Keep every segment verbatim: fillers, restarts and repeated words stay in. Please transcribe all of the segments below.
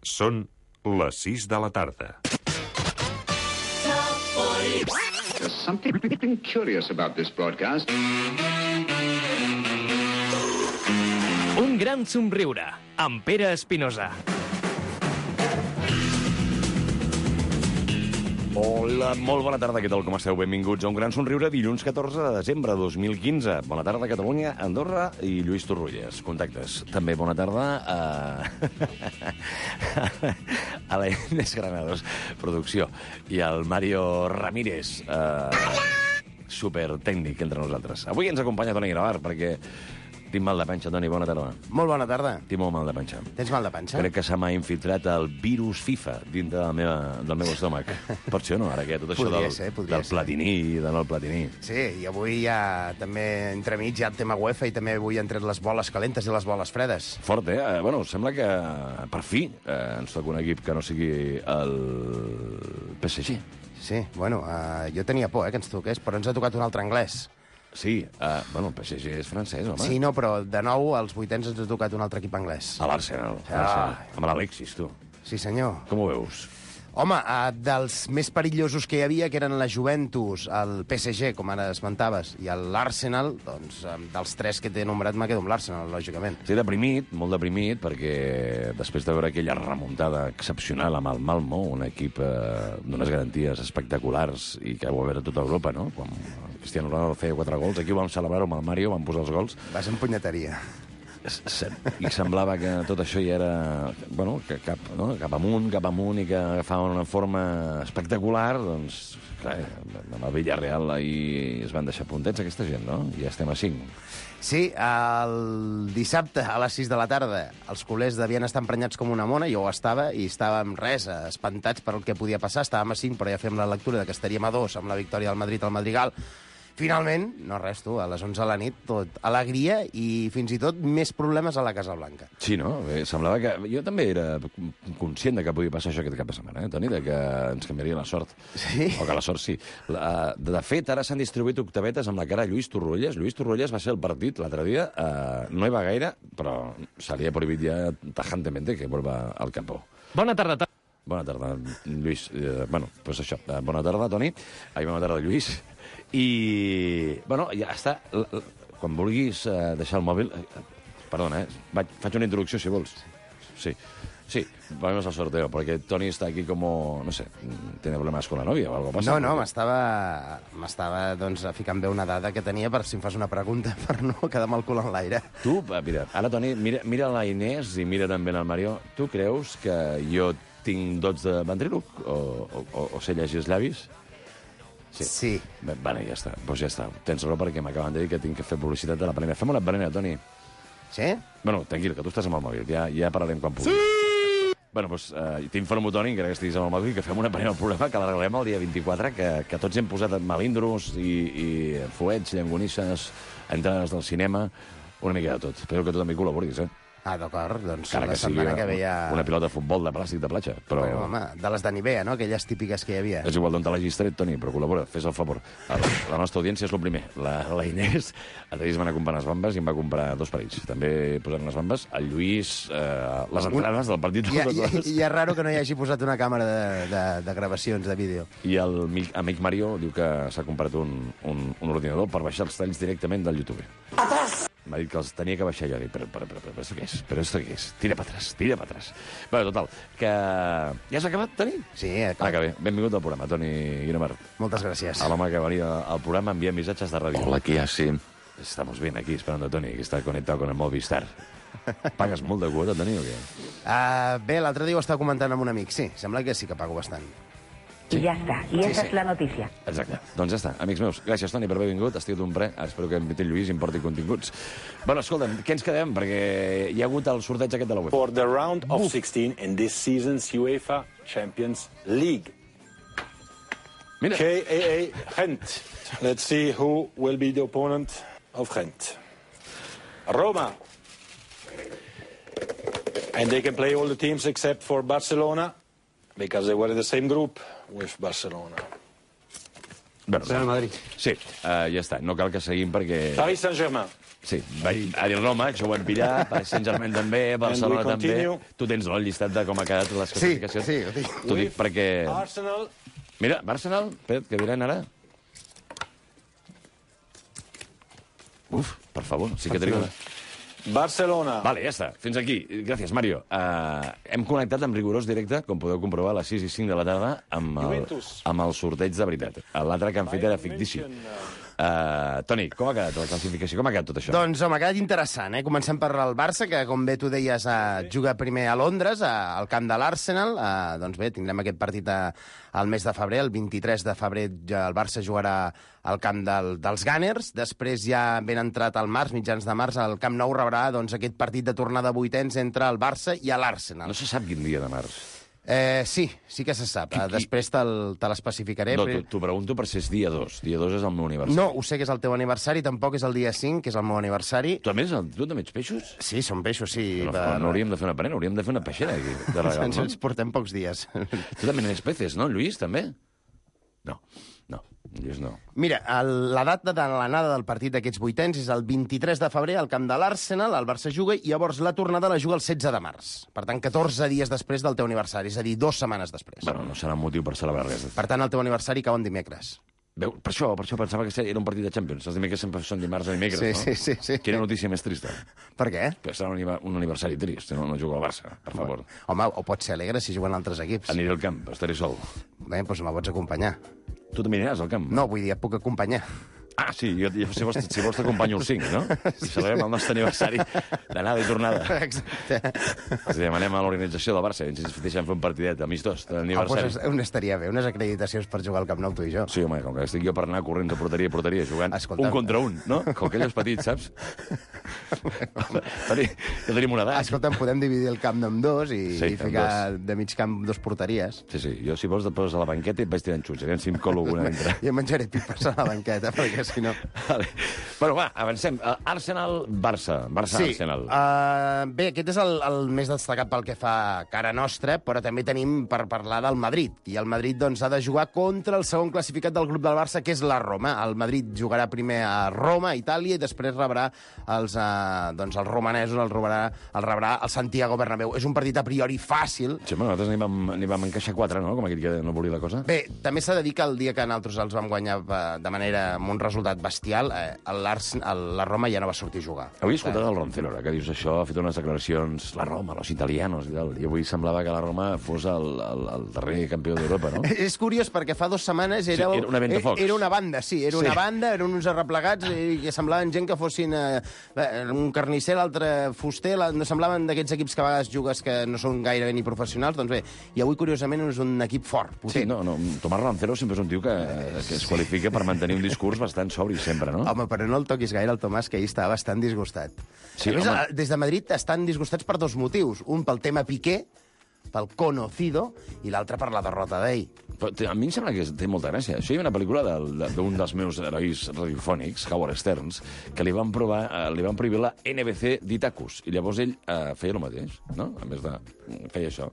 Són les sis de la tarda. There's something curious about this broadcast. Un gran somriure, amb Pere Espinosa. Hola, molt bona tarda, què tal, com esteu? Benvinguts a un gran somriure dilluns catorze de desembre de dos mil quinze. Bona tarda, Catalunya, Andorra i Lluís Torrulles. Contactes. També bona tarda a... a la Inés Granados, producció, i al Mario Ramírez, eh... supertècnic entre nosaltres. Avui ens acompanya Toni Gravar, perquè... Tinc mal de panxa, Toni, bona tarda. Molt bona tarda. Tinc molt mal de panxa. Tens mal de panxa? Crec que se m'ha infiltrat el virus FIFA dintre del meu, del meu estómac. Per això no, ara que tot això Podria del, ser, podria del ser. platini i de no el platini. Sí, i avui ja també entremig hi ha el tema UEFA i també avui han tret les boles calentes i les boles fredes. Fort, eh? eh? Bueno, sembla que per fi eh, ens toca un equip que no sigui el P S G. Sí, bueno, uh, jo tenia por eh, que ens toqués, però ens ha tocat un altre anglès. Sí, eh, bueno, el P S G és francès, home. Sí, no, però de nou als vuitens ens ha tocat un altre equip anglès. A l'Arsenal. Ah. Amb l'Alexis, tu. Sí, senyor. Com ho veus? Home, uh, dels més perillosos que hi havia, que eren la Juventus, el P S G, com ara esmentaves, i l'Arsenal, doncs, um, dels tres que t'he nombrat, me quedo amb l'Arsenal, lògicament. Sí, deprimit, molt deprimit, perquè després de veure aquella remuntada excepcional amb el Malmo, un equip eh, d'unes garanties espectaculars i que ho va veure tota Europa, no? Quan Cristiano Ronaldo feia quatre gols, aquí ho vam celebrar-ho amb el Mario, vam posar els gols. Vas en punyeteria. I semblava que tot això ja era... Bueno, que cap, no? cap amunt, cap amunt, i que agafaven una forma espectacular, doncs, clar, amb el Villarreal ahir es van deixar puntets aquesta gent, no? I ja estem a cinc. Sí, el dissabte a les sis de la tarda els culers devien estar emprenyats com una mona, jo ho estava, i estàvem res, espantats per el que podia passar. Estàvem a cinc, però ja fèiem la lectura de que estaríem a dos amb la victòria del Madrid al Madrigal. Finalment, no res, tu, a les onze de la nit, tot alegria i fins i tot més problemes a la Casa Blanca. Sí, no? Bé, semblava que... Jo també era conscient de que podia passar això aquest cap de setmana, eh, Toni, de que ens canviaria la sort. Sí? O que la sort sí. La, de fet, ara s'han distribuït octavetes amb la cara a Lluís Torrulles. Lluís Torrulles va ser el partit l'altre dia. Eh, no hi va gaire, però se li ha prohibit ja tajantemente que vuelva al campo. Bona tarda, Toni. Bona tarda, Lluís. Eh, bueno, doncs pues això. Eh, bona tarda, Toni. Ai, bona tarda, Lluís. I, bueno, ja està. Quan vulguis eh, deixar el mòbil... Eh, perdona, eh? Vaig, faig una introducció, si vols. Sí, sí, vamos al sorteo, perquè Toni està aquí com... No sé, tiene problemes con la novia o algo pasa. No, no, m'estava m'estava doncs, ficant bé una dada que tenia per si em fas una pregunta, per no quedar amb el cul en l'aire. Tu, mira, ara, Toni, mira, mira la Inés i mira també el Mario. Tu creus que jo tinc dots de ventríloc o, o, o sé llegir els llavis? Sí. sí. Bé, bueno, ja està. Doncs ja està. Tens raó perquè m'acaben de dir que tinc que fer publicitat de la Balena. Fem una Balena, Toni. Sí? Bueno, tranquil, que tu estàs amb el mòbil. Ja, ja parlarem quan pugui. Sí! Bueno, doncs eh, t'informo, Toni, que ara que estiguis amb el mòbil, que fem una Balena al programa, que l'arreglem el dia vint-i-quatre, que, que tots hem posat melindros i, i fuets, llangonisses, entrades del cinema, una mica de tot. Espero que tu també col·laboris, eh? Ah, d'acord, doncs Encara la que sigui setmana que ve ja... una pilota de futbol de plàstic de platja. Però... Bueno, home, de les de Nivea, no? Aquelles típiques que hi havia. És igual d'on te l'hagis tret, Toni, però col·labora, fes el favor. La, la nostra audiència és el primer. La, la Inés, el Lluís va anar a comprar unes bambes i em va comprar dos parells. També posant unes bambes. El Lluís, eh, les entrades del partit... I, i, i és raro que no hi hagi posat una càmera de, de, de gravacions, de vídeo. I el amic Mario diu que s'ha comprat un, un, un ordinador per baixar els talls directament del YouTube. Atrás! M'ha dit que els tenia que baixar jo. Dic, però, però, però, però, però, què és? Però esto què és? Tira per atrás, tira per atrás. Bé, total, que... Ja s'ha acabat, Toni? Sí, clar. Ah, que bé. Benvingut al programa, Toni Guinomar. Moltes gràcies. A l'home que venia al programa envia missatges de ràdio. Hola, ¿qué hace? Estamos bien aquí esperando a Toni, que está conectado con el Movistar. Pagues molt de quota, Toni, o què? Uh, bé, l'altre dia ho estava comentant amb un amic. Sí, sembla que sí que pago bastant. Sí. Y ya está. Y esa sí, es sí. la noticia. Exacte. Doncs ja està. Amics meus, gràcies, Toni, per haver vingut. Ha estat un pre. Espero que en Vitel Lluís importi continguts. Bueno, escolta'm, què ens quedem? Perquè hi ha hagut el sorteig aquest de la UEFA. For the round of sixteen in this season's UEFA Champions League. Mira. K A A Gent. Let's see who will be the opponent of Gent. Roma. And they can play all the teams except for Barcelona, because they were in the same group with Barcelona. Bueno, Real Madrid. Sí, uh, ja està. No cal que seguim perquè... Paris Saint-Germain. Sí, vaig a dir Roma, això ho hem pillat, Paris Saint-Germain també, Barcelona And we també. continue. Tu tens el llistat de com ha quedat les Sí, classificacions? sí, ho tinc. T'ho dic perquè... Arsenal. Mira, Arsenal, espera't, què diran ara? Uf, per favor, sí que trigo. Barcelona. Vale, ja està. Fins aquí. Gràcies, Mario. Uh, hem connectat amb rigorós directe, com podeu comprovar, a les sis i cinc de la tarda, amb el, Juventus. amb el sorteig de veritat. L'altre que han fet era fictici. Uh, Toni, com ha quedat la classificació? Com ha quedat tot això? Doncs, home, ha quedat interessant, eh? Comencem per el Barça, que, com bé tu deies, eh, juga primer a Londres, a, al camp de l'Arsenal. Eh, doncs bé, tindrem aquest partit a, al mes de febrer. El vint-i-tres de febrer ja el Barça jugarà al camp del, dels Gunners. Després, ja ben entrat al març, mitjans de març, el Camp Nou rebrà doncs, aquest partit de tornada de vuitens entre el Barça i l'Arsenal. No se sap quin dia de març. Eh, sí, sí que se sap. Qui- Eh, qui- Després te'l- te l'especificaré. No, però- t'ho pregunto per si és dia dos. Dia dos és el meu aniversari. No, ho sé que és el teu aniversari, tampoc és el dia cinc, que és el meu aniversari. Tu, a més, el- tu també ets peixos? Sí, són peixos, sí. No, per- no, no hauríem de fer una panera, hauríem de fer una peixera aquí, de regal, Ens, no? ens portem pocs dies. Tu també n'eres peces, no, Lluís, també? No, no, Lluís no. Mira, el, la data de l'anada del partit d'aquests vuitens és el vint-i-tres de febrer al camp de l'Arsenal, el Barça juga, i llavors la tornada la juga el setze de març. Per tant, catorze dies després del teu aniversari, és a dir, dues setmanes després. Bueno, no serà un motiu per celebrar res. Per tant, el teu aniversari cau en dimecres. Veu, per això, per això pensava que era un partit de Champions. Els dimecres sempre són dimarts o dimecres, Sí, no? sí, sí, sí. Quina notícia més trista. Per què? Que serà un, aniva- un aniversari trist, no, no juga al Barça, per favor. Home, o pot ser alegre si juguen altres equips. Aniré al camp, estaré sol. Bé, doncs me pots acompanyar. Tu també aniràs al camp? No, vull dir, et puc acompanyar. Ah, sí, jo, jo, si, vols, si vols t'acompanyo el cinc, no? I celebrem el nostre aniversari d'anada i tornada. Exacte. Els demanem a l'organització del Barça, ens deixen fer un partidet amistós Ah, d'aniversari. doncs on estaria bé? Unes acreditacions per jugar al Camp Nou, tu i jo. Sí, home, com que estic jo per anar corrents de porteria a porteria jugant Escolta'm. un contra un, no? Com aquells petits, saps? Tenim, ja tenim una edat. Escolta'm, podem dividir el camp en dos i, Sí, i en ficar de mig camp dos porteries. Sí, sí, jo si vols et poses a la banqueta i et vaig tirant xuts, aviam si em colo alguna dintre. Jo menjaré pipes a la banqueta, perquè si no... Vale. Bueno, va, avancem. Uh, Arsenal-Barça. Barça-Arsenal. uh, bé, aquest és el, el més destacat pel que fa a cara nostra, però també tenim per parlar del Madrid. I el Madrid doncs, ha de jugar contra el segon classificat del grup del Barça, que és la Roma. El Madrid jugarà primer a Roma, a Itàlia, i després rebrà els, uh, doncs, els romanesos, el rebrà, el rebrà el Santiago Bernabéu. És un partit a priori fàcil. Sí, bueno, nosaltres n'hi vam, n'hi vam encaixar quatre, no? Com aquell que no volia la cosa. Bé, també s'ha de dir que el dia que nosaltres els vam guanyar eh, de manera amb un resultat bestial, eh, l'Ars- el- la Roma ja no va sortir a jugar. Avui he escoltat el Roncero, ara que dius això, ha fet unes declaracions, la Roma, los italianos i tal, i avui semblava que la Roma fos el, el, el darrer campió d'Europa, no? És curiós perquè fa dues setmanes era, Sí, era una ventafocs. era una banda, sí, era Sí. una banda, eren uns arreplegats i que semblaven gent que fossin eh, un carnisser, l'altre fuster, la, no semblaven d'aquests equips que a vegades jugues que no són gairebé ni professionals, doncs bé, i avui curiosament és un equip fort, potent. Sí, no, no, Tomàs Roncero sempre és un tio que, que es qualifica per mantenir un discurs bastant sobri sempre, no? Home, però no el toquis gaire, el Tomàs, que ahir estava bastant disgustat. Sí, a més, home. a- des de Madrid estan disgustats per dos motius. Un pel tema Piqué, pel conocido, i l'altre per la derrota d'ell. Però té- a mi em sembla que té molta gràcia. Això hi ha una pel·lícula del- de- d'un dels meus herois radiofònics, Howard Stearns, que li van, provar, eh, li van prohibir la N B C d'Itacus, i llavors ell eh, feia el mateix, no? A més de... feia això.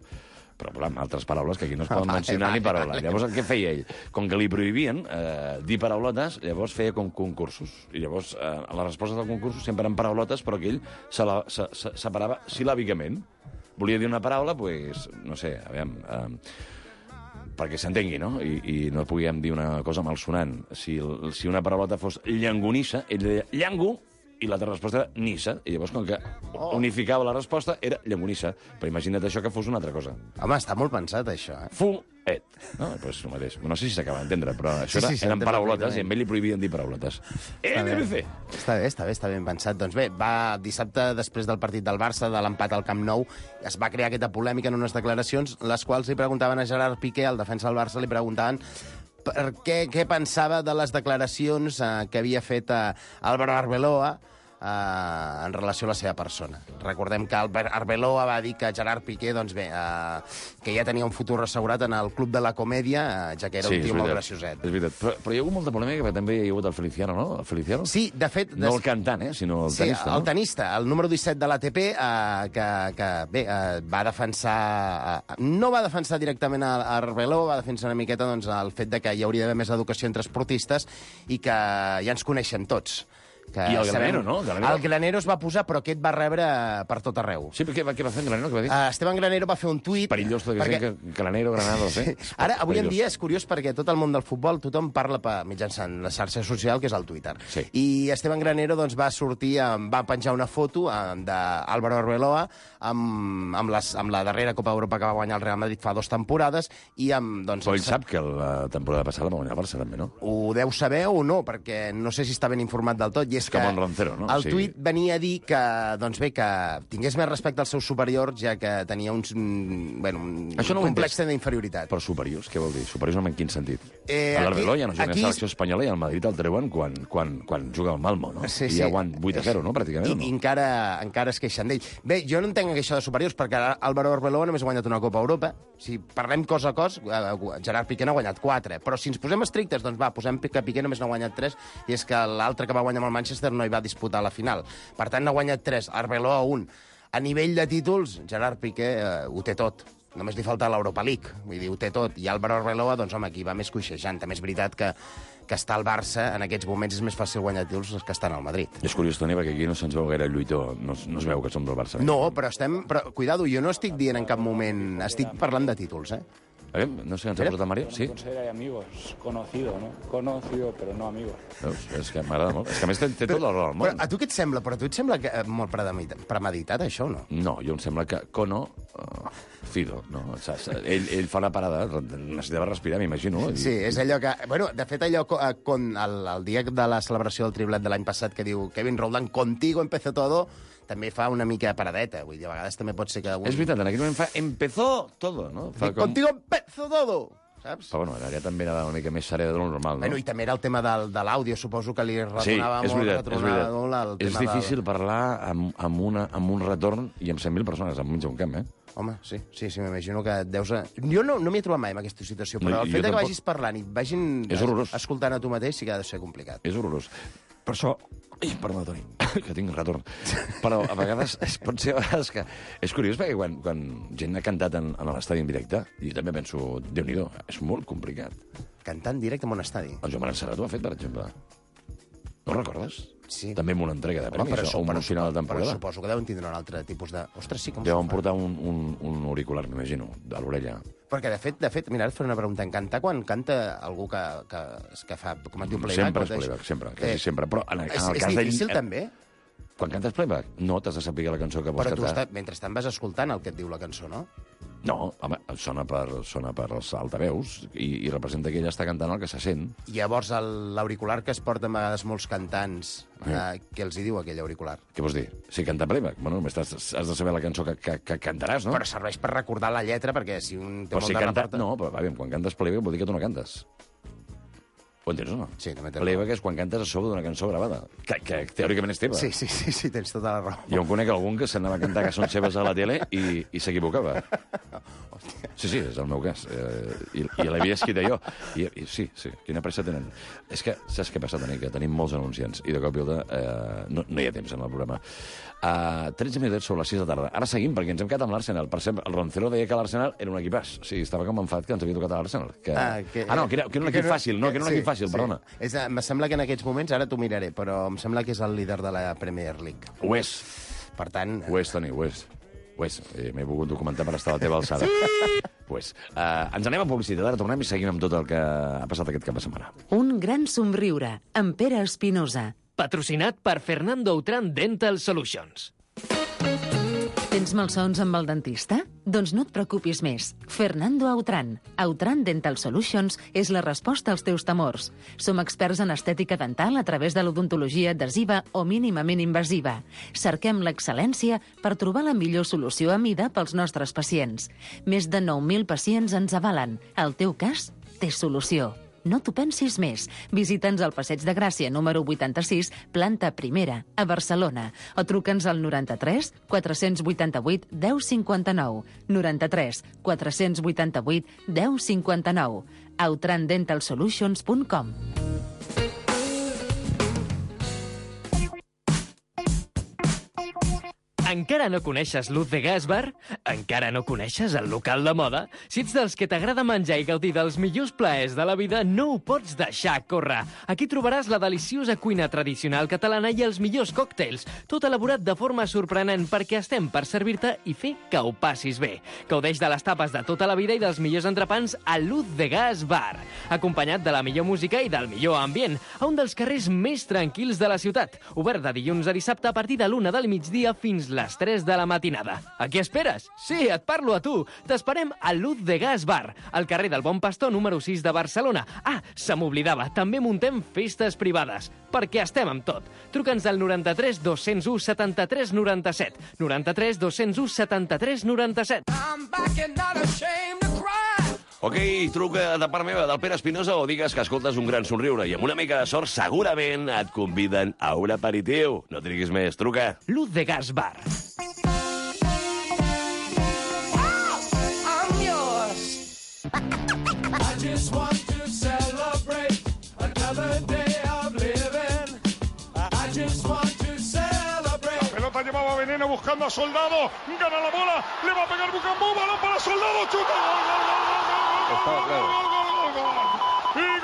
Però, clar, amb altres paraules que aquí no es poden Vale, mencionar vale, ni paraula. vale. Llavors, què feia ell? Com que li prohibien eh, dir paraulotes, llavors feia com concursos. I llavors, eh, a les respostes del concurs sempre eren paraulotes, però que ell se la, se, se, separava silàbicament. Volia dir una paraula, doncs, no sé, aviam... Eh, perquè s'entengui, no? I, I no podíem dir una cosa malsonant. Si, el- si una paraulota fos llangonissa, ell deia llango, i l'altra resposta era nissa, i llavors com que unificava la resposta era llangonissa. Però imagina't això que fos una altra cosa. Home, està molt pensat, això, eh? Fu, et. No, pues el mateix. No sé si s'acaba d'entendre, però això Sí, era, sí, s'entén eren paraulotes perfectament. i a ell li prohibien dir paraulotes. Està bé. N B C. Està bé, està bé, està ben pensat. Doncs bé, va dissabte, després del partit del Barça, de l'empat al Camp Nou, es va crear aquesta polèmica en unes declaracions, les quals li preguntaven a Gerard Piqué, el defensa del Barça, li preguntaven per què, què pensava de les declaracions eh, que havia fet eh, Álvaro Arbeloa, eh, en relació a la seva persona. Recordem que Albert Arbeloa va dir que Gerard Piqué, doncs bé, eh, que ja tenia un futur assegurat en el Club de la Comèdia, eh, ja que era Sí, un és tio molt veritat. gracioset. És veritat. Però, però hi ha hagut molta polèmica, perquè també hi ha hagut el Feliciano, no? El Feliciano? Sí, de fet... No el cantant, eh? Sinó el Sí, tenista, no? el tenista, el número disset de l'A T P, eh, que, que bé, eh, va defensar... Eh, no va defensar directament a, a Arbeloa, va defensar una miqueta doncs, el fet de que hi hauria d'haver més educació entre esportistes i que ja ens coneixem tots. Que I el sabem- Granero, no? El Granero. El Granero es va posar, però aquest va rebre per tot arreu. Sí, però què, va- què va fer en Granero? Què va dir? Uh, Esteban Granero va fer un tuit... Perillós, tot perquè... que Granero, Granados, eh? Ara, avui en Perillós. dia és curiós perquè tot el món del futbol, tothom parla per mitjançant la xarxa social, que és el Twitter. Sí. I Esteban Granero doncs, va sortir, amb- va penjar una foto amb- d'Álvaro Arbeloa amb, amb, les, amb la darrera Copa d'Europa que va guanyar el Real Madrid fa dues temporades i amb... Doncs, Però ell sap que la temporada passada va guanyar el Barça, també, no? Ho deu saber o no, perquè no sé si està ben informat del tot. I és com que en Roncero, no? El Sí. tuit venia a dir que, doncs bé, que tingués més respecte als seus superiors, ja que tenia uns, mm, bueno, un Això no ho he complex d'inferioritat. Però superiors, què vol dir? Superiors en quin sentit? Eh, a l'Arbeloa aquí- ja no juga aquí- en selecció espanyola i el Madrid el treuen quan, quan, quan juga al Malmo, no? Sí, I sí. ja guany vuit a zero, no? Pràcticament, I, o no? i encara, encara es queixen d'ell. Bé, jo no entenc això de superiors, perquè ara Álvaro Arbeloa només ha guanyat una Copa Europa. Si parlem cos a cos, eh, Gerard Piqué n'ha guanyat quatre. Però si ens posem estrictes, doncs va, posem que Piqué només n'ha guanyat tres, i és que l'altre que va guanyar amb el Manchester no hi va disputar la final. Per tant, n'ha guanyat tres, Arbeloa un. A nivell de títols, Gerard Piqué eh, ho té tot. Només li falta l'Europa League, vull dir, ho té tot. I Álvaro Arbeloa, doncs, home, aquí va més coixejant. També és veritat que, que està al Barça, en aquests moments és més fàcil guanyar títols que estan al Madrid. És curiós, Toni, perquè aquí no se'ns veu gaire lluitó. No, es- no es veu que som del Barça. No, però estem... Però, cuidado, jo no estic dient en cap moment... Estic parlant de títols, eh? A veure, no sé, ens ha posat el Mario? Sí? Considera amigos, conocido, ¿no? Conocido, pero no amigo. Veus? És que m'agrada molt. És que a més té, té tot el raó del Però món. a tu què et sembla? Però a tu et sembla que, eh, molt premeditat, premeditat, això, o no? No, jo em sembla que Kono... Uh, Fido, no? Saps? Ell, ell fa una parada, necessitava respirar, m'imagino. i- Sí, és allò que... Bueno, de fet, allò, co- eh, con, el, el dia de la celebració del triplet de l'any passat que diu Kevin Roldán, contigo empezó todo, també fa una mica de paradeta. Vull dir, a vegades també pot ser que... Un... És veritat, en aquell moment fa... Empezó todo, no? Fa Dic, Contigo empezó todo! Saps? Però bueno, allà també era una mica més serè de lo normal, no? Bueno, i també era el tema del, de l'àudio, suposo que li Sí, retornava és molt, veritat, és retornava veritat. molt el És tema difícil parlar amb, amb, una, amb un retorn i amb cent mil persones enmig d'un camp, eh? Home, sí, sí, sí, m'imagino que et deus... A... Jo no, no m'hi he trobat mai en aquesta situació, però No, el jo fet de que tampoc. vagis parlant i vagin És horrorós. escoltant a tu mateix sí que ha de ser complicat. És horrorós. Per això... Ai, perdó, Toni, que tinc retorn. Però a vegades es pot ser a vegades que... És curiós perquè quan, quan gent ha cantat en, en l'estadi en directe, jo també penso, Déu-n'hi-do, és molt complicat. Cantar en directe en un estadi. El Joan Marencerat ho ha fet, per exemple. No ho recordes? Sí. També amb una entrega de Home, premis, però, o amb un final de però temporada. suposo que deuen tindre un altre tipus de... Ostres, sí, com Deuen s'ho fa? portar un, un, un auricular, m'imagino, a l'orella. Perquè, de fet, de fet, mira, ara et faré una pregunta. En cantar, quan canta algú que, que, que fa, com es diu, playback? Sempre o és deix- playback, sempre, quasi sempre. Però en, en És, el és cas difícil, d'ell... també? Quan cantes playback, no t'has de saber la cançó que vols Però tu, cantar. està, mentrestant, vas escoltant el que et diu la cançó, no? No, home, sona per, sona per els altaveus i, i representa que ella està cantant el que se sent. I llavors el- l'auricular que es porta a vegades molts cantants, Eh. eh, què els hi diu aquell auricular? Què vols dir? Si canta playback, bueno, només has, has de saber la cançó que, que, que cantaràs, no? Però serveix per recordar la lletra, perquè si un té Però molt si de canta... repertori- No, però aviam, quan cantes playback vol dir que tu no cantes. Ho entens o no? Sí, també té Playback és quan cantes a sobre d'una cançó gravada, que, que teòricament és teva. Sí, sí, sí, sí, tens tota la raó. Jo en conec algun que s'anava a cantar cançons seves a la tele i, i s'equivocava. Sí, sí, és el meu cas. Eh, I i l'havia escrit jo. I, I sí, sí, quina pressa tenen. És que, saps què passa, Toni? Que tenim molts anunciants i de cop i volta eh, no, no hi ha temps en el programa. Uh, tretze minuts sobre les sis de tarda. Ara seguim, perquè ens hem quedat amb l'Arsenal. Per exemple, el Roncero deia que l'Arsenal era un equipàs. Sí, estava com enfat que ens havia tocat a l'Arsenal. Que... Ah, que- ah, no, que era, que era un equip fàcil. No, que era un sí, equip fàcil, sí. perdona. És, em sembla que en aquests moments, ara t'ho miraré, però em sembla que és el líder de la Premier League. Ho és. Per tant... Ho és, Toni, ho és. Ho és. Eh, M'he volgut documentar per estar a la teva alçada. Pues, uh, ens anem a publicitat, ara tornem i seguim amb tot el que ha passat aquest cap de setmana. Un gran somriure, amb Pere Espinosa. Patrocinat per Fernando Autran Dental Solutions. Tens malsons amb el dentista? Doncs no et preocupis més. Fernando Autran. Autran Dental Solutions és la resposta als teus temors. Som experts en estètica dental a través de l'odontologia adhesiva o mínimament invasiva. Cerquem l'excel·lència per trobar la millor solució a mida pels nostres pacients. Més de nou mil pacients ens avalen. El teu cas té solució. No t'ho pensis més. Visita'ns al Passeig de Gràcia, número vuitanta-sis, planta primera, a Barcelona. O truca'ns al noranta-tres quatre-cents vuitanta-vuit deu cinquanta-nou. noranta-tres quatre-cents vuitanta-vuit deu cinquanta-nou. autran dental solutions punt com. Encara no coneixes Luz de Gas Bar? Encara no coneixes el local de moda? Si ets dels que t'agrada menjar i gaudir dels millors plaers de la vida, no ho pots deixar córrer. Aquí trobaràs la deliciosa cuina tradicional catalana i els millors còctels, tot elaborat de forma sorprenent perquè estem per servir-te i fer que ho passis bé. Gaudeix de les tapes de tota la vida i dels millors entrepans a Luz de Gas Bar, acompanyat de la millor música i del millor ambient, a un dels carrers més tranquils de la ciutat, obert de dilluns a dissabte a partir de l'una del migdia fins les tres de la matinada. A què esperes? Sí, et parlo a tu. T'esperem a Luz de Gas Bar, al carrer del Bon Pastor número sis de Barcelona. Ah, se m'oblidava, també muntem festes privades, perquè estem amb tot. Truca'ns al noranta-tres dos-cents u setanta-tres noranta-set. noranta-tres dos-cents u setanta-tres noranta-set. Ok, truca de part meva del Pere Espinosa o digues que escoltes un gran somriure i amb una mica de sort segurament et conviden a un aperitiu. No triguis més, truca. Luz de Gas Bar. Llevaba Veneno buscando a Soldado, gana la bola, le va a pegar Bucambú, balón para Soldado, chuta, gol, gol, gol, gol, gol, gol, gol, gol, gol, gol, y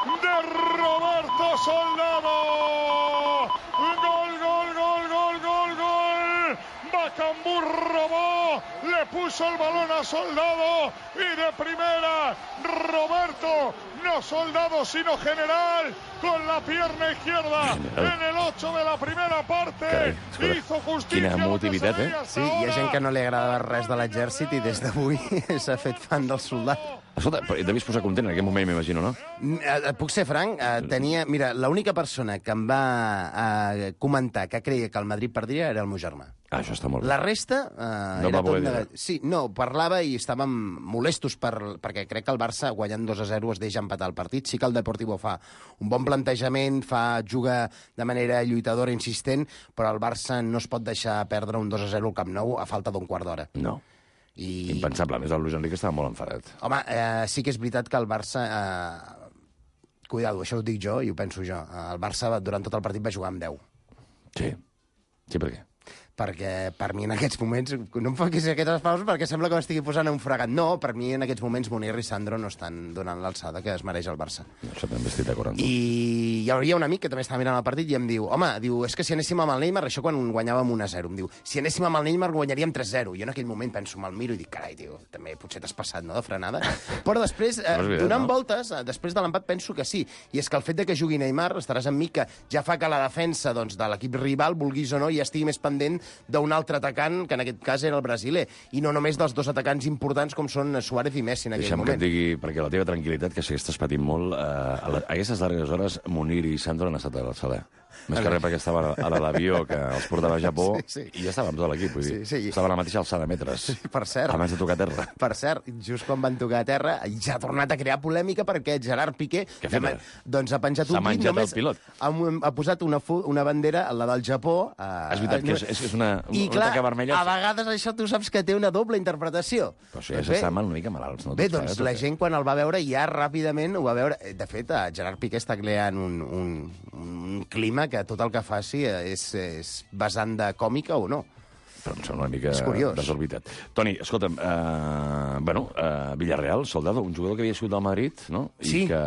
gol de Roberto Soldado, gol, gol, gol, gol, gol, gol, Bucambú robó, le puso el balón a Soldado y de primera Roberto, no Soldado sino General, con la pierna izquierda en el ocho de la primera parte. Carai, hizo justícia. Quina emotivitat, eh? Sí, hi ha gent que no li agrada res de l'exèrcit i des d'avui s'ha fet fan del soldat. Escolta, devies posar content en aquest moment, m'imagino, no? Et puc ser franc? Eh, tenia... Mira, l'única persona que em va eh, comentar que creia que el Madrid perdria era el meu germà. Ah, això està molt bé. La resta eh, no era va tot poder negat... Sí, no, parlava i estàvem molestos per, perquè crec que el Barça, guanyant dos a zero, es deixa empatar el partit. Sí que el Deportivo fa un bon plantejament, fa juga de manera lluitadora, insistent, però el Barça no es pot deixar perdre un dos a zero al Camp Nou a falta d'un quart d'hora. No. I... Impensable. A més, el Luis Enrique estava molt enfadat. Home, eh, sí que és veritat que el Barça... Eh... Cuidado, això ho dic jo i ho penso jo. El Barça durant tot el partit va jugar amb deu. Sí. Sí, per què? Perquè per mi en aquests moments... No em facis aquestes pauses perquè sembla que m'estigui posant un fregat. No, per mi en aquests moments Munir i Sandro no estan donant l'alçada que es mereix el Barça. No, això també estic d'acord amb tu. I hi hauria un amic que també estava mirant el partit i em diu, home, diu, és que si anéssim amb el Neymar, això quan guanyàvem un a zero, em diu, si anéssim amb el Neymar guanyaríem tres a zero. Jo en aquell moment penso, me'l miro i dic, carai, tio, també potser t'has passat, no?, de frenada. Però després, eh, veritat, donant no? voltes, eh, després de l'empat penso que sí. I és que el fet de que jugui Neymar, estaràs amb mi, que ja fa que la defensa doncs, de l'equip rival, vulguis o no, ja estigui més pendent d'un altre atacant, que en aquest cas era el brasiler, i no només dels dos atacants importants com són Suárez i Messi en aquell Deixa'm moment. que et digui, perquè la teva tranquil·litat, que si estàs patint molt, eh, a, la, a aquestes darreres hores Munir i Sandro han estat a l'alçada. Més que res perquè estava a l'avió que els portava a Japó sí, sí. i ja estava amb tot l'equip, vull dir. Sí, sí. Estava a la mateixa alçada de metres. Sí, per cert. Abans de tocar terra. Per cert, just quan van tocar a terra, ja ha tornat a crear polèmica perquè Gerard Piqué Què ha fet? doncs ha penjat S'ha un menjat només el pilot. Ha, ha posat una, una bandera, la del Japó. A, És veritat que és, és, és una, I una clar, taca vermella. a vegades això tu saps que té una doble interpretació. Però això ja s'estaven una mica malalts, no? Bé, Tots doncs plegats, la gent quan el va veure ja ràpidament ho va veure. De fet, Gerard Piqué està creant un, un, un clima que tot el que faci és, és vessant de còmica o no. Però em sembla una mica És curiós. desorbitat. Toni, escolta'm, eh, bueno, eh, Villarreal, Soldado, un jugador que havia sigut del Madrid, no? I Sí. que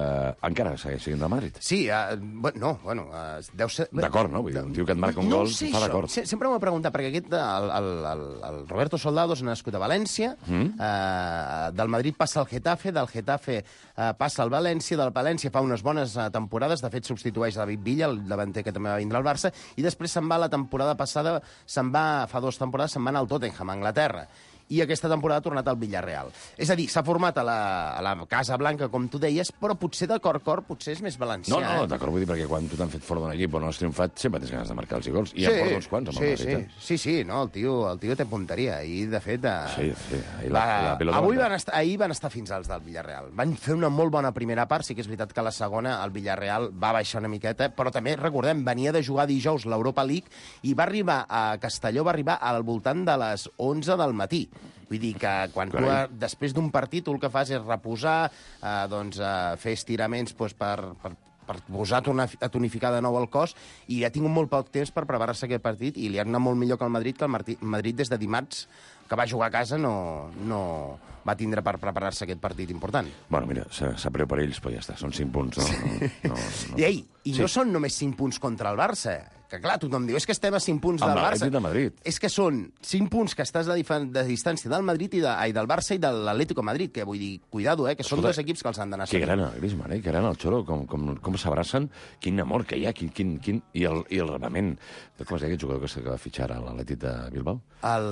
encara segueix sent del Madrid. Sí, uh, bueno, no, bueno, uh, deu ser... D'acord, no? Vull dir, un tio que et marca un no gol, sé fa això. d'acord. Se- Sempre m'ho he preguntat, perquè aquest, el, el, el, el Roberto Soldado és nascut a València, mm. uh, del Madrid passa al Getafe, del Getafe uh, passa al València, del València fa unes bones uh, temporades, de fet substitueix David Villa, el davanter que també va vindre al Barça, i després se'n va la temporada passada, se'n va, fa dues temporades, se'n va anar al Tottenham, a Anglaterra. I aquesta temporada ha tornat al Villarreal. És a dir, s'ha format a la, a la Casa Blanca, com tu deies, però potser de cor cor potser és més valencià. No, no, eh? d'acord, vull dir, perquè quan tu t'han fet fort d'un equip o no has triomfat, sempre tens ganes de marcar els gols. I sí, en porta uns quants amb sí, el Madrid. sí, eh? sí, sí, no, el tio, el tio té punteria. I, de fet... Eh, Sí, sí, ahir va, la- la pilota avui va van estar, ahir van estar fins als del Villarreal. Van fer una molt bona primera part, sí que és veritat que la segona el Villarreal va baixar una miqueta, però també, recordem, venia de jugar dijous l'Europa League i va arribar a Castelló, va arribar al voltant de les onze del matí. Vull dir que quan tu, Carai. després d'un partit, tu el que fas és reposar, eh, doncs, eh, fer estiraments doncs, per, per, per posar a tonificar de nou el cos, i ha tingut molt poc temps per preparar-se aquest partit, i li ha anat molt millor que el Madrid, que el Madrid des de dimarts, que va jugar a casa, no, no va tindre per preparar-se aquest partit important. Bueno, mira, sap greu per ells, però ja està, són cinc punts, no? no, no, no. I, ei, i sí. no són només cinc punts contra el Barça, que clar, tothom diu, és que estem a cinc punts del Barça. De Madrid. És que són cinc punts que estàs de, de distància del Madrid i, de, ai, del Barça i de l'Atlético Madrid, que vull dir, cuidado, eh, que són Escolta, dos equips que els han d'anar seguint. Que gran el Griezmann, eh? Que gran el Xolo, com, com, com s'abracen, quin amor que hi ha, quin, quin, quin, i, el, i el rebament. Com es deia aquest jugador que va fitxar a l'Atlètic de Bilbao? El,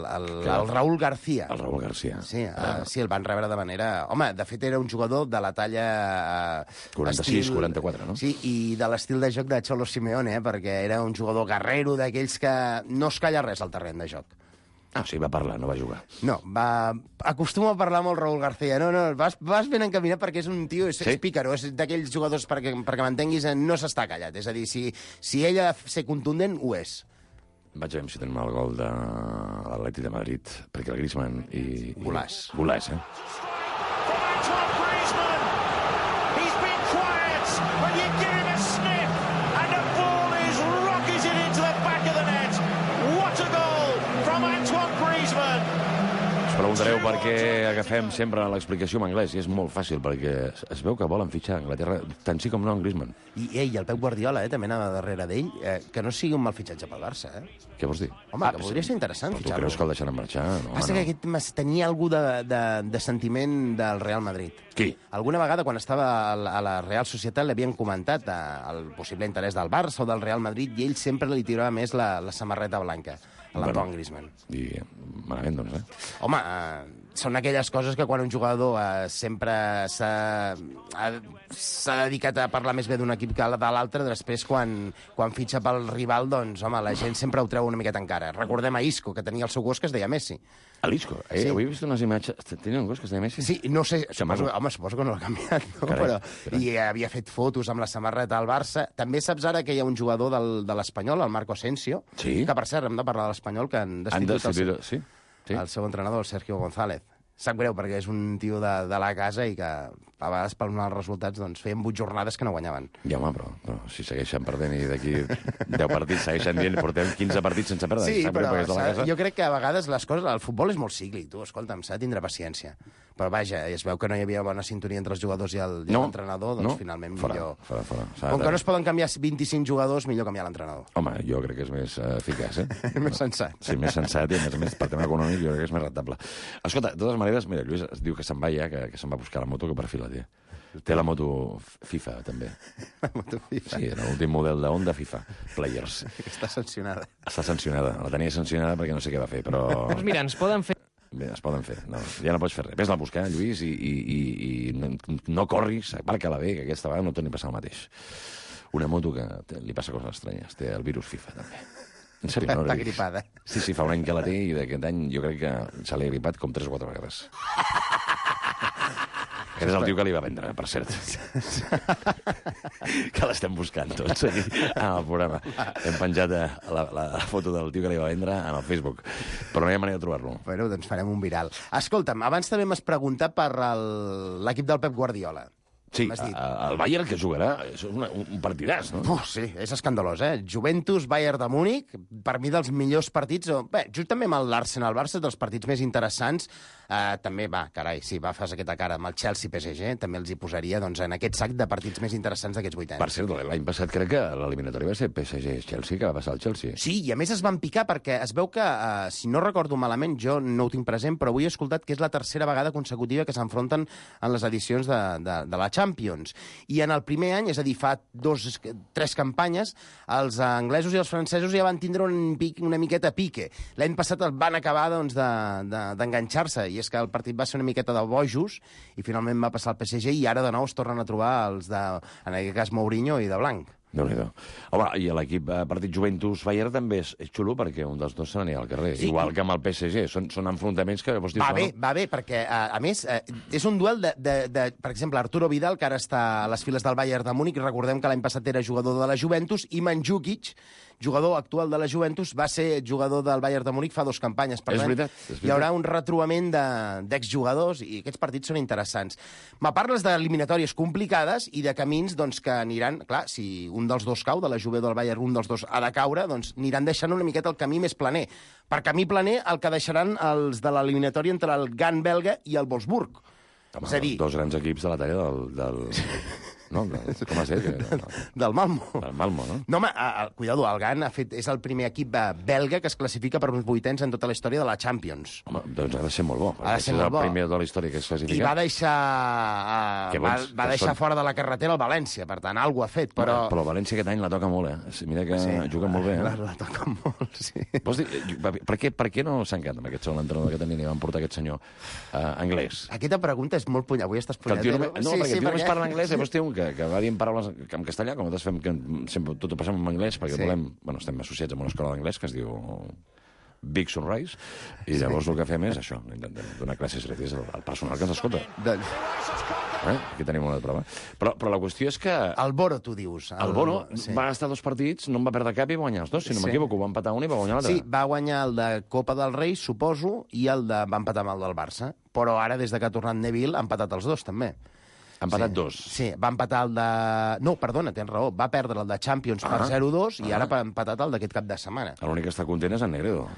el, el Raúl García. El Raúl García. Sí, uh, sí, el van rebre de manera... Home, de fet, era un jugador de la talla... Uh, quaranta-sis quaranta-quatre, no? Sí, i de l'estil de joc de Cholo Simeone, eh, perquè era un jugador guerrero, d'aquells que no es calla res al terreny de joc. Ah, sí, va parlar, no va jugar. No, va... acostuma a parlar molt Raúl García. No, no, vas, vas ben encaminat perquè és un tio, és, sí? és pícaro, és d'aquells jugadors, perquè, perquè m'entenguis, no s'està callat. És a dir, si, si ell ha de ser contundent, ho és. Vaig a veure si tenim el gol de l'Atlètic de Madrid, perquè el Griezmann i... Golàs. Golàs, eh? Preguntareu per què agafem sempre l'explicació en anglès, i és molt fàcil, perquè es veu que volen fitxar a Anglaterra, tant sí com no en Griezmann. I ell, el Pep Guardiola, eh, també anava darrere d'ell, eh, que no sigui un mal fitxatge pel Barça, eh? Què vols dir? Home, ah, que podria ser interessant fitxar-lo. fitxar-lo. Tu creus que el deixaran marxar? No, Passa no. que aquest tenia algú de, de, de sentiment del Real Madrid. Qui? Alguna vegada, quan estava a la Real Societat, l'havien comentat el possible interès del Barça o del Real Madrid, i ell sempre li tirava més la, la samarreta blanca, a l'Antoine bueno, Griezmann. I malament, doncs, eh? Home, eh, són aquelles coses que quan un jugador eh, sempre s'ha dedicat a parlar més bé d'un equip que de l'altre, després quan, quan fitxa pel rival, doncs, home, la gent sempre ho treu una miqueta encara. Recordem a Isco, que tenia el seu gos que es deia Messi. A l'Isco? Eh, sí. Avui he vist unes imatges... Tenia un gos que es deia Messi? Sí, no sé, suposo, home, suposo que no l'ha canviat, no? Carai, Però, carai. I havia fet fotos amb la samarreta al Barça. També saps ara que hi ha un jugador del, de l'Espanyol, el Marco Asensio, sí? que, per cert, hem de parlar de l'Espanyol, que han destituït, han destituït el, seu, sí? Sí? el seu entrenador, el Sergio González. Sap greu, perquè és un tio de, de la casa i que a vegades per uns resultats doncs, feien vuit jornades que no guanyaven. Ja, home, però, però si segueixen perdent i d'aquí deu partits segueixen dient portem quinze partits sense perdre. Sí, sap però greu, de la casa. Jo crec que a vegades les coses... El futbol és molt cíclic, tu, escolta'm, s'ha de tindre paciència. Però vaja, es veu que no hi havia bona sintonia entre els jugadors i l'entrenador, no, doncs no, finalment fora, millor... Fora, fora. Com que no es poden canviar vint-i-cinc jugadors, millor canviar l'entrenador. Home, jo crec que és més uh, eficaç, eh? Més sensat. Sí, més sensat i, a més a més, per tema econòmic, jo crec que és més rentable. Escolta, de totes maneres, mira, Lluís es diu que se'n va ja, que, que se'n va buscar la moto, que per fi la té. Té la moto FIFA, també. La moto FIFA? Sí, l'últim model de Honda FIFA Players. Està sancionada. Està sancionada. La tenia sancionada perquè no sé què va fer, però... Doncs mira, ens poden fer... Bé, es poden fer. No, ja no pots fer res. Ves-la a buscar, Lluís, i, i, i, i no, no corris, aparca-la bé, que aquesta vegada no torni a passar el mateix. Una moto que té, li passa coses estranyes. Té el virus FIFA, també. En sèrio, no? Està gripada. Sí, sí, fa un any que la té i d'aquest any jo crec que se l'ha gripat com tres o quatre vegades. Aquest és el tio que li va vendre, per cert. Que l'estem buscant tots aquí en el programa. Hem penjat la, la, la foto del tio que li va vendre en el Facebook, però no hi ha manera de trobar-lo. Bueno, doncs farem un viral. Escolta'm, abans també m'has preguntat per l'equip del Pep Guardiola. Sí, el Bayern que jugarà, és una, un partidàs, no? Uf, sí, és escandalós, eh? Juventus, Bayern de Múnich, per mi dels millors partits... Bé, just també amb l'Arsenal-Barça, dels partits més interessants. Uh, també, va, carai, sí, va, fas aquesta cara amb el Chelsea-P S G, també els hi posaria doncs, en aquest sac de partits més interessants d'aquests vuit anys. Per cert, l'any passat crec que l'eliminatori va ser P S G-Chelsea, que va passar el Chelsea. Sí, i a més es van picar perquè es veu que, uh, si no recordo malament, jo no ho tinc present, però avui he escoltat que és la tercera vegada consecutiva que s'enfronten en les edicions de, de, de la Champions. I en el primer any, és a dir, fa dos, tres campanyes, els anglesos i els francesos ja van tindre un pic, una miqueta pique. L'any passat el van acabar doncs, d'enganxar-se, de, de, i és que el partit va ser una miqueta de bojos, i finalment va passar al P S G, i ara de nou es tornen a trobar els de, en aquest cas, Mourinho i de Blanc. Déu-n'hi-do. Home, i l'equip eh, partit Juventus-Bayern també és, és xulo perquè un dels dos se n'anirà al carrer. Sí. Igual que amb el P S G. Són, són enfrontaments que... Vols dir, va no? bé, va bé, perquè, a, a més, eh, és un duel de, de, de... Per exemple, Arturo Vidal, que ara està a les files del Bayern de Múnich, recordem que l'any passat era jugador de la Juventus, i Mandžukić, jugador actual de la Juventus, va ser jugador del Bayern de Múnich fa dos campanyes. Per És tant, veritat, és veritat. hi haurà un retrobament de- d'exjugadors i aquests partits són interessants. Me parles d'eliminatòries complicades i de camins doncs, que aniran... Clar, si un dels dos cau, de la Juve o del Bayern, un dels dos ha de caure, doncs aniran deixant una miqueta el camí més planer. Per camí planer, el que deixaran els de l'eliminatòria entre el Gant belga i el Wolfsburg. Home, És a dir, dos grans equips de la talla del... del... No, del, com has dit? Del, del Malmo. del Malmo, no? No, home, a, a, cuidado, el Gant ha fet, és el primer equip eh, belga que es classifica per uns vuitens en tota la història de la Champions. Home, doncs ha de ser molt bo. Ha de ser és molt el bo. primer de la història que es classifica. I va deixar, uh, Que va, bons va que deixar són. fora de la carretera el València, per tant, alguna ha fet, però... Però el València aquest any la toca molt, eh? Mira que sí, juga molt bé, eh? La, la toca molt, sí. Vols dir, per què, per què no s'han quedat amb aquest segon entrenador que tenien i van portar aquest senyor uh, anglès? Aquesta pregunta és molt punyada. Avui estàs Que el tio punyadero. només, no, Sí, perquè sí, el tio només perquè- parla anglès, llavors té un que, que va dient paraules en castellà, com nosaltres fem que sempre tot ho passem en anglès, perquè Sí. volem... Bueno, estem associats amb una escola d'anglès que es diu Big Sunrise, i llavors el que fem és això, intentem donar classes gratis al, al personal que ens escolta. Doncs, Eh? Aquí tenim una prova. Però, però la qüestió és que el Boro, tu dius. el Bono sí. va estar dos partits, no en va perdre cap i va guanyar els dos, si no Sí. m'equivoco, va empatar un i va guanyar l'altre. Sí, va guanyar el de Copa del Rei, suposo, i el de... va empatar amb el del Barça. Però ara, des de que ha tornat Neville, ha empatat els dos, també. Ha empatat sí. dos. Sí, va empatar el de... No, perdona, tens raó. Va perdre el de Champions Ah. per zero dos i Ah. ara ha empatat el d'aquest cap de setmana. L'únic que està content és en Negredo,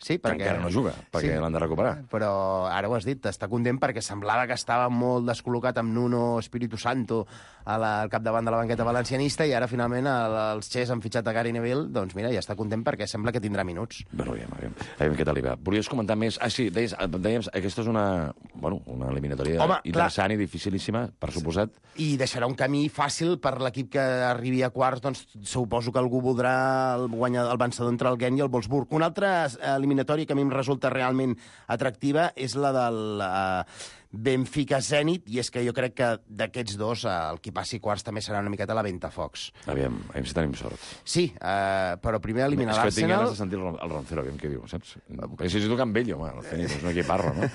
Sí, que perquè... encara no juga, perquè l'han de recuperar. Però ara ho has dit, està content perquè semblava que estava molt descol·locat amb Nuno Espíritu Santo a la, al capdavant de la banqueta valencianista i ara finalment el, els Xes han fitxat a Gary Neville, doncs mira, ja està content perquè sembla que tindrà minuts. Bueno, aviam, aviam, aviam què tal li va. Volies comentar més? Ah, sí, deies, dèiem, aquesta és una, bueno, una eliminatòria Home, interessant i dificilíssima, per suposat. I deixarà un camí fàcil per l'equip que arribi a quarts, doncs suposo que algú voldrà el, guanyar, el vencedor entre el Gent i el Wolfsburg. Una altra eliminatòria que a mi em resulta realment atractiva és la del uh, Benfica-Zenit, i és que jo crec que d'aquests dos uh, el qui passi quarts també serà una miqueta la Ventafocs. Aviam, aviam si tenim sort. Sí, uh, però primer eliminar És que tinc ganes l'Arsenal... de sentir el, el Roncero, aviam què diu, saps? Perquè si tu can vell, home, el Zenit és un equiparro, no?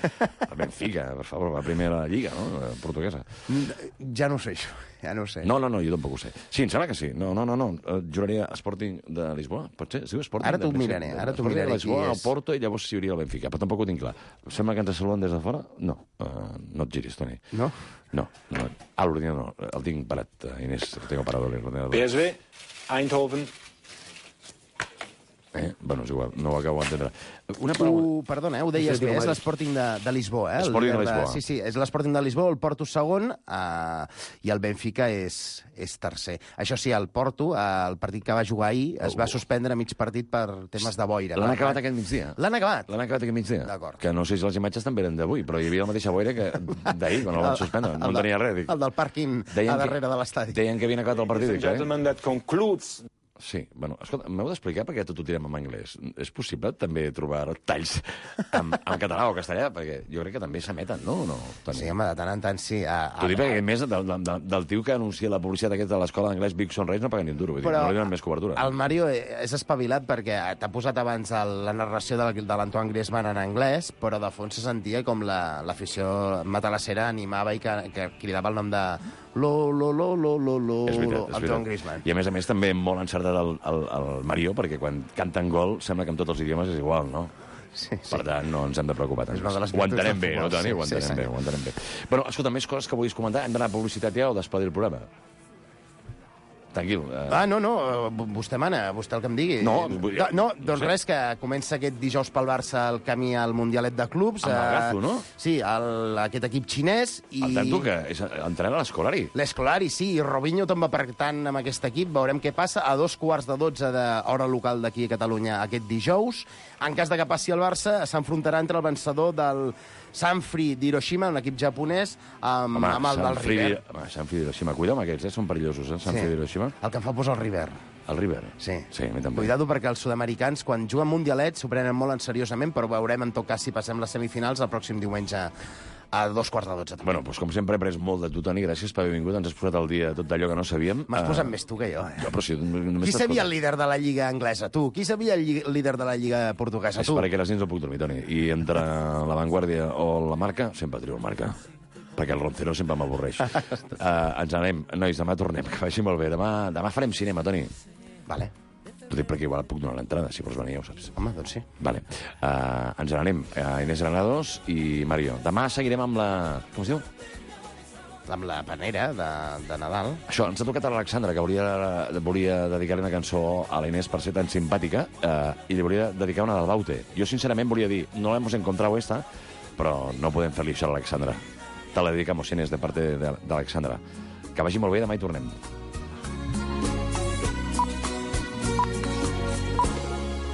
El Benfica, per favor, va primer a la Lliga, no? La portuguesa. Ja no ho sé, això. Ja no ho sé. No, no, no, jo tampoc ho sé. Sí, em sembla que sí. No, no, no, no. Eh, juraria Sporting de Lisboa, pot ser? Es diu Sporting Ara t'ho de... miraré, ara t'ho Sporting miraré de Lisboa, qui el és. Porto, i llavors s'hi hauria el Benfica, però tampoc ho tinc clar. Sembla que ens saluden des de fora? No, uh, no et giris, Toni. No? No, no. Ah, l'ordinador no, el tinc parat, uh, Inés, el tinc parat l'ordinador. P S V, Eindhoven. Eh? Bueno, és igual, no ho acabo d'entendre. Una paraula... Uh, perdona, eh, ho deies bé, és l'Sporting de, de Lisboa. Eh? El Sporting de líder Lisboa. Sí, sí, és l'Sporting de Lisboa, el Porto segon uh, i el Benfica és, és tercer. Això sí, el Porto, uh, el partit que va jugar ahir, es va suspendre a mig partit per temes de boira. L'han Per- acabat aquest migdia? L'han acabat? L'han acabat aquest migdia? D'acord. Que no sé si les imatges també eren d'avui, però hi havia la mateixa boira que d'ahir, quan el van suspendre. No El en de- tenia res. Dic. El del pàrquing Deien a que- darrere de l'estadi. Deien que havien acabat el partit, Ladies and dic, eh? gentlemen, that concludes Sí, bueno, escolta, m'heu d'explicar per què tot ho tirem en anglès. És possible també trobar talls en, en català o castellà? Perquè jo crec que també s'emeten, no? no Toni? Sí, home, de tant en tant sí. A, T'ho dic perquè, a més, del, del, del tio que anuncia la publicitat aquesta de l'escola d'anglès Big Sunrise no paga ni un duro, vull dir, Però no li donen més cobertura. El Mario és espavilat perquè t'ha posat abans el, la narració de, de l'Antoine Griezmann en anglès, però de fons se sentia com la- l'afició matalassera animava i que, que cridava el nom de lo, lo, lo, lo, lo, lo, És veritat, és Antoine veritat. Griezmann. I a més a més també molt encertat el, el, el Mario, perquè quan canten gol sembla que en tots els idiomes és igual, no? Sí, sí. Per tant, no ens hem de preocupar tant. És una de les Ho virtuts entenem del bé, no, futbol, Toni? sí, Ho sí, entenem senyor. bé, ho entenem bé. Bueno, escolta, més coses que vulguis comentar? Hem d'anar a publicitat ja o despedir el programa? Tranquil. Eh... Ah, no, no, v- vostè mana, vostè el que em digui. No, no, vull- no no doncs sé. res, que comença aquest dijous pel Barça el camí al Mundialet de Clubs. Amb el eh, Gazo, no? Sí, el, aquest equip xinès. I... El tanto que és entrenar a l'escolari. L'Escolari, sí, i Robinho tomba per tant amb aquest equip. Veurem què passa. A dos quarts de dotze d'hora local d'aquí a Catalunya aquest dijous. En cas de que passi el Barça, s'enfrontarà entre el vencedor del Sanfrecce d'Hiroshima, un equip japonès, amb, Home, amb el del Sanfrecce River. d'Hi- Home, Sanfrecce d'Hiroshima. Cuida amb aquests, eh? Són perillosos, eh? Sanfrecce d'Hiroshima. El que em fa posar el River. El River. Sí. Sí, a mi també. Cuidado perquè els sud-americans, quan juguen mundialets, s'ho prenen molt en seriosament, però veurem, en tot cas, si passem les semifinals el pròxim diumenge a dos quarts de dotze. Bueno, doncs com sempre he après molt de tu, Toni. Gràcies per haver vingut. Ens has posat al dia tot allò que no sabíem. M'has Eh, posat més tu que jo, eh? Jo, però si només Qui t'escolto. sabia el líder de la Lliga anglesa? Tu. Qui sabia el lli- líder de la Lliga portuguesa? És Tu. perquè les nits no puc dormir, Toni. I entre la Vanguardia o la Marca, sempre trio el Marca. Perquè el Roncero sempre m'avorreix. uh, ens anem. Nois, demà tornem. Que vagi molt bé. Demà, demà farem cinema, Toni. Vale. Ho dic perquè igual puc donar l'entrada, si vols venir, ja ho saps. Home, doncs sí. Vale. Uh, ens n'anem. Uh, Inés Granados i Mario. Demà seguirem amb la... Com es diu? Amb la panera de, de Nadal. Això, ens ha tocat a l'Alexandra, que volia, volia dedicar-li una cançó a la Inés per ser tan simpàtica, eh, i li volia dedicar una del Baute. Jo, sincerament, volia dir, no la hemos encontrado esta, però no podem fer-li això a l'Alexandra. Te la dedicamos, Inés, de parte de, de l'Alexandra. Que vagi molt bé, demà hi tornem.